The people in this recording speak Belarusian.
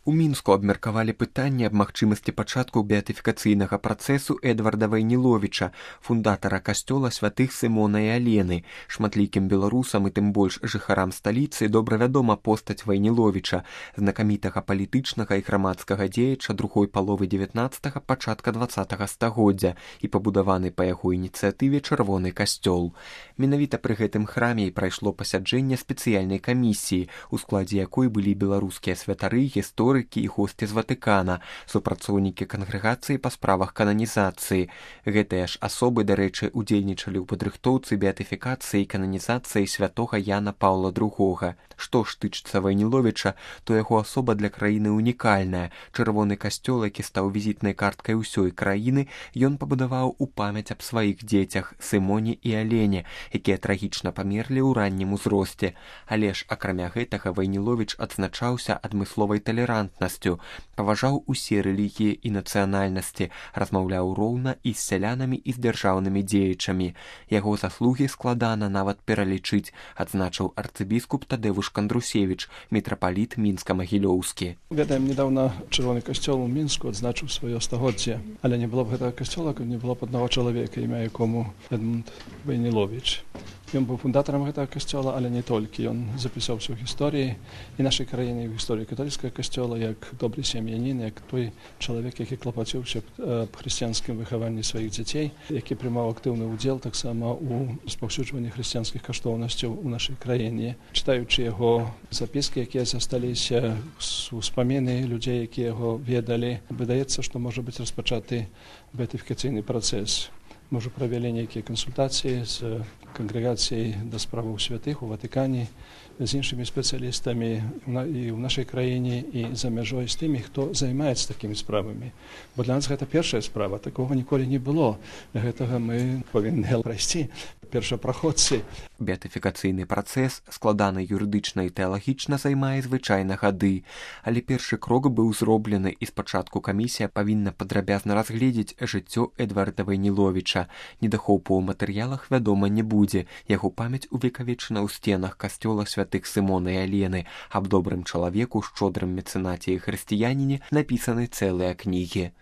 У Мінску абмеркавалі пытанне аб магчымасці пачатку беатыфікацыйнага працэсу Эдварда Вайніловіча, фундатара касцёла святых Сымона і Алены. Шматлікім беларусам і тым больш жыхарам сталіцы добра вядома постаць Вайніловіча, знакамітага палітычнага і грамадскага дзеяча другой паловы 19-га, пачатка 20-га стагоддзя і пабудаваны па яго ініцыятыве чырвоны касцёл. Менавіта пры гэтым храме і прайшло пасяджэнне спецыяльнай камісіі, у складзе якой былі беларускія святары, гісторыкі і госці з Ватыкана, супрацоўнікі кангрэгацыі па справах кананізацыі. Гэтыя ж асобы, дарэчы, удзельнічалі ў падрыхтоўцы беатыфікацыі і кананізацыі святога Яна Паўла II. Што ж тычыцца Вайніловіча, то яго асоба для краіны унікальная. Чырвоны касцёл, які стаў візітнай карткай усёй краіны, ён пабудаваў у памяць аб сваіх дзецях Сымоне і Алене, якія трагічна памерлі ў раннім узросце. Але ж, акрамя гэтага, Вайніловіч адзначаўся адмысловай талерантнасцю, паважаў усе рэлігіі і нацыянальнасці, размаўляў роўна і з сялянамі, і з дзяржаўнымі дзеячамі. Яго заслугі складана нават пералічыць, адзначыў арцыбіскуп Тадэвуш Кандрусевіч, мітрапаліт Мінска-Магілёўскі. Ведаем, недавно Чырвоны касцёл у Мінску адзначыў сваё стагоддзе, але не было б гэтага касцёла, каб не было б аднаго чалавека, імя якому Эдмунд Вайніловіч. Ён быў фундатарам гэтага касцёла, але не толькі. Ён запісаўся ў гісторыі і нашай краіны, і ў гісторыі каталіцкага касцёла, як добры сем'янін, як той чалавек, які клапаціўся аб хрысціянскім выхаванні сваіх дзяцей, які прымаў актыўны ўдзел таксама ў распаўсюджванні хрысціянскіх каштоўнасцяў у нашай краіне. Чытаючы яго запіскі, якія засталіся, успаміны людзей, якія яго ведалі, выдаецца, што можа быць распачаты беатыфікацыйны працэс. Мы ўжо правялі нейкія кансультацыі з кангрэгацыяй да справаў святых у Ватыкане, з іншымі спецыялістамі і ў нашай краіне, і за мяжой з тымі, хто займаецца такімі справамі. Бо для нас гэта першая справа, такога ніколі не было. Гэтага мы павінны прайсці. Першапраходцы. Беатыфікацыйны працэс складаны юрыдычна і тэалагічна займае звычайна гады, але першы крок быў зроблены, і спачатку камісія павінна падрабязна разгледзець жыццё Эдварда Вайніловіча. Недахопу ў матэрыялах, вядома, не будзе. Яго памяць увекавечана ў сценах касцёла святых Сымона і Алены. Аб добрым чалавеку, шчодрым мецэнаце і хрысціяніне напісаны цэлыя кнігі.